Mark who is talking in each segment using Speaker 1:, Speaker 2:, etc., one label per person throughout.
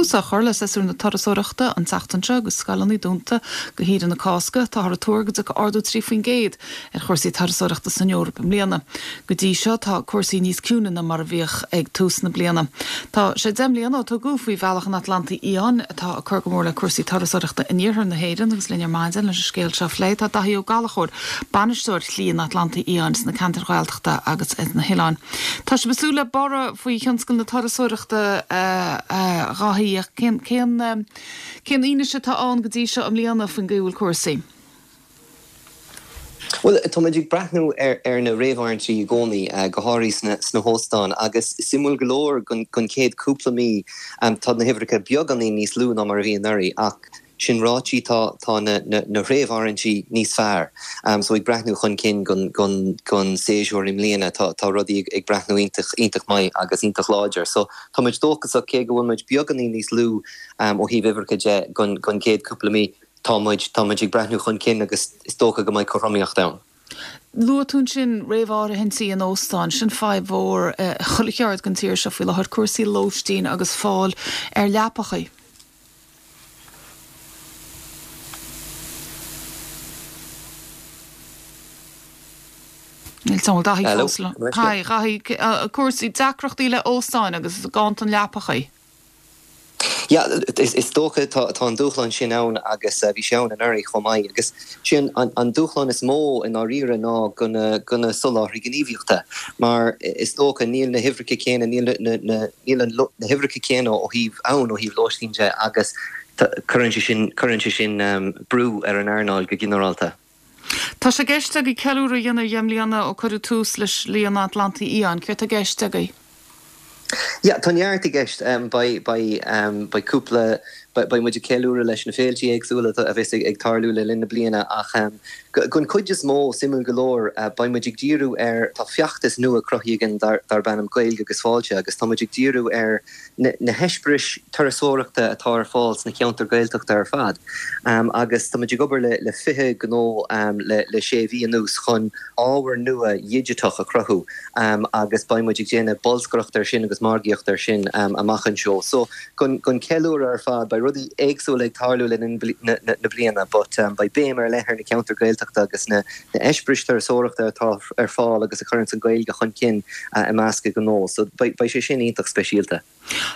Speaker 1: Tús á chur le séasúr na turasóireachta an tseachtain seo agus scoileanna dúnta go shaoire na Cásca. Táthar ag tuar go dtiocfaidh ardú 3% ar chúrsaí turasóireachta san Eoraip i mbliana. Go dtí seo tá cúrsaí níos ciúine ná mar a bhíodh ag tús na bliana. Tá sé 10 mbliana ó tugadh faoi Bhealach an Atlantaigh Fhiáin, atá ag cur go mór le cúrsaí turasóireachta in iarthar na hÉireann agus linn ar maidin leis an scéal seo a phlé tá Daithí Ó Gallchóir, Bainisteoir Shlí an Atlantaigh Fhiáin sna ceantair Ghaeltachta agus ar na hoileáin. Tá sibh ag súil le borradh faoi thionscal na turasóireachta a Dhaithí ach cén cén cén fhianaise atá ann go dtí seo i mbliana faoin gcaoi a bhfuil cúrsaí?
Speaker 2: Bhuel, tá muid ag breathnú ar na réamháirithintí i gcónaí, go háirithe sna hóstáin, agus suimiúil go leor don chéad cúpla mí tá na huimhreacha beagáinín níos lú ná mar a bhí anuraidh, ach sin ráite tá na réamháirithintí níos fearr. So ag breathnú chun cinn don séasúr i mbliana tá rudaí ag breathnú iontach, iontach maith agus iontach láidir. So tá muid dóchasach cé go bhfuil muid beagáinín níos lú ó thaobh uimhreacha de don chéad cúpla mí. Tá muid, tá muid ag breathnú chun cinn agus is dócha go mbeidh cothromaíocht ann.
Speaker 1: Luaigh tú ansin réamháirithintí in óstáin, sin fadhb mhór i chuile cheard den tír seo faoi láthair, cúrsaí lóistín agus fáil ar leapachaí. Níl 'fhios a'm an bhfuil Daithí fós liom. Hi, Dhaithí, cúrsaí, deacrachtaí le óstáin agus ganntan leapachaí.
Speaker 2: Yeah, is dócha tá an dúshlán sin ann agus bhí sé ann anuraidh chomh maith agus sin an dúshlán is mó i ndáiríre ná go na go na soláthraí gníomhaíochta mar is dócha níl na huimhreacha céanna níl na na níl na huimhreacha céanna ó thaobh ann ó thaobh lóistín de agus cuireann sé sin cuireann sé sin brú ar an earnáil go ginearálta.
Speaker 1: Tá sé i gceist agaibh ceiliúradh a dhéanamh ar dheich mbliana ó cuireadh tús le Slí an Atlantaigh Fhiáin. Céard tá i gceist agaibh?
Speaker 2: Yeah, tá neart i gceist. Beidh, beidh, beidh cúpla, beidh muid ag ceiliúradh leis na féiltí éagsúla a bheas ag tarlú le linn na bliana ach don chuid is mó, suimiúil go leor, beidh muid ag díriú ar, tá feachtas nua cruthaithe againn darb ainm Gaeilge agus Fáilte agus tá muid ag díriú ar na heispéiris turasóireachta atá ar fáil sna ceantair Ghaeltachta ar fad agus tá muid ag obair le 20 gnó le sé mhí anuas chun ábhar nua dhigiteach a chruthú agus beidh muid ag déanamh bolscaireacht air sin agus margaíocht air sin amach anseo. So don cheiliúradh ar fad beidh rudaí éagsúla ag tarlú le linn na bliana but beidh béim ar leith ar na ceantair Ghaeltachta agus na heispéiris turasóireachta atá ar fáil agus a chuireanns an Ghaeilge chun cinn i measc gnó. So beidh sé sin iontach speisialta.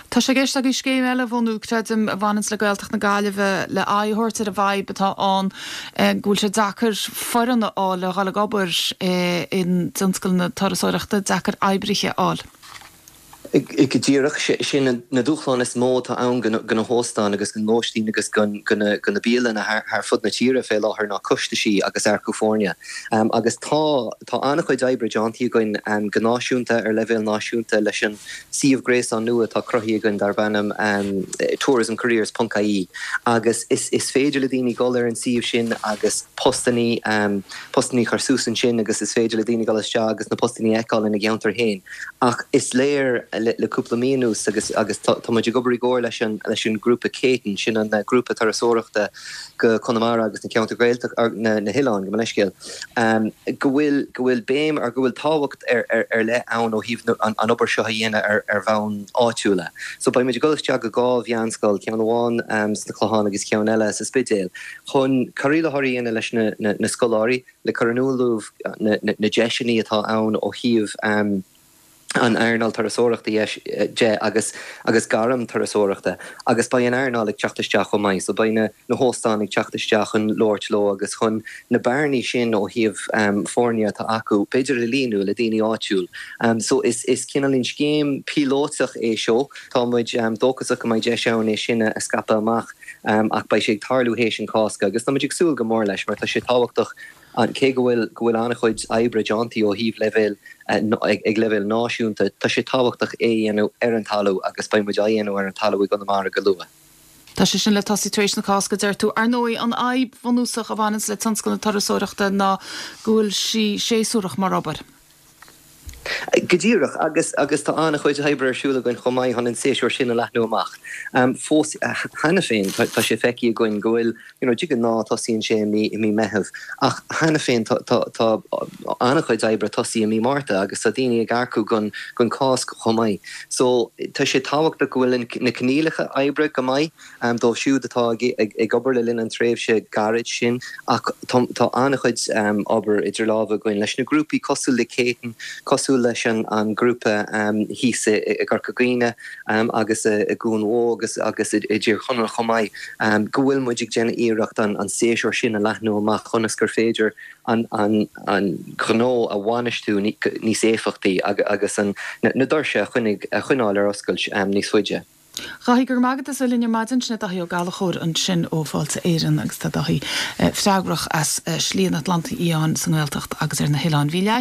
Speaker 1: Tá sé i gceist agaibh scéim eile a bhunú, creidim, a bhaineanns le Gaeltacht na Gaillimhe le aghaidh a thabhairt ar an bhfadhb atá ann go bhfuil sé deacair foireann a fháil le dhul ag obair i dtionscal na turasóireachta, deacair oibrithe a fháil.
Speaker 2: Go díreach, sin na dúshláin is mó atá ann do na hóstáin agus don lóistín agus do na bialanna thar fud na tíre fé láthair ná costaisí agus earcú foirne. Agus tá tá an-chuid oibre déanta againn go náisiúnta, ar leibhéal náisiúnta leis an suíomh gréasáin nua atá cruthaithe againn darb ainm tourismcareers ponc ie agus is féidir le daoine dul ar an suíomh sin agus postannaí postannaí a chur suas ansin agus is féidir le daoine dul isteach agus na postannaí a fheiceáil ina gceantar féin. Ach is léir le cúpla mí anuas agus agus tá muid ag obair i gcomhar leis an leis an grúpa Céitinn, sin an grúpa turasóireachta go Conamara agus na ceantair Ghaeltachta, na na hoileáin, gabh mo leithscéal, go bhfuil go bhfuil béim ar go bhfuil tábhacht ar ar ar leith ann ó thaobh an an obair seo a dhéanamh ar ar bhonn áitiúla. So beidh muid ag dul isteach go dhá mheánscoil, ceann amháin sna Clocháin agus ceann eile sa Spidéal, chun cur i láthair a dhéanamh leis na na na scoláirí, le cur in iúl dóibh na deiseanna atá ann ó thaobh an earnáil turasóireachta de agus agus gairm turasóireachta agus beidh an earnáil ag teacht isteach chomh maith so beidh na na hóstáin ag teacht isteach chun labhairt leo agus chun na bearnaí sin ó thaobh foirne atá acu b'fhéidir a líonadh le daoine áitiúil. So is is cineáilín scéim píolótach é seo tá muid dóchasach go mbeidh deis ann é sin a scaipeadh amach. Ach beidh sé ag tarlú théis an Cásca agus tá muid ag súil go mór leis mar tá sé tábhachtach cé go bhfuil go bhfuil an-chuid oibre déanta ó thaobh leibhéal ag leibhéal náisiúnta, tá sé tábhachtach é a dhéanamh ar an talamh agus beidh muid á dhéanamh ar an talamh i gConamara go luath.
Speaker 1: Tá sé sin le tosaí tar éis na Cásca, deir tú. Ar ndóigh, an fhadhb bhunúsach a bhaineanns le tionscal na turasóireachta ná go bhfuil sí séasúrach mar obair.
Speaker 2: Go díreach, agus agus tá an-chuid oibre ar siúl againn chomh maith chun an séasúr sin a leathnú amach. Fós cheana féin tá sé feicthe againn go bhfuil, you know, de ghnáth tosaíonn sé i mí i mí Meitheamh ach cheana féin tá tá tá an-chuid oibre tosaithe i mí Márta agus tá daoine ag earcú don don Cásc chomh maith. So tá sé tábhachtach go bhfuil na coinníollacha oibre go maith. dóibh siúd atá ag obair le linn an tréimhse gairid sin ach tá an-chuid obair idir lámha againn leis na grúpaí cosúil le Céatinn, cosúil leis an grúpa thíos i gCorca Dhuibhne agus i gCuan Mhó agus agus i dTír Chonaill chomh maith, go bhfuil muid ag déanamh iarracht an séasúr sin a leathnú amach ionas gur féidir an gnó a bhainistiú níos éifeachtaí agus na doirse a choinneáil ar oscailt níos faide.
Speaker 1: Dáithí, go raibh maith agat as bheith linn ar maidin. Sin é Dáithí Ó Gallchóir ansin ó Fáilte Éireann agus tá Dáithí freagrach as Slí an Atlantaigh Fhiáin sa nGaeltacht agus ar na hoileáin. Bhí leath.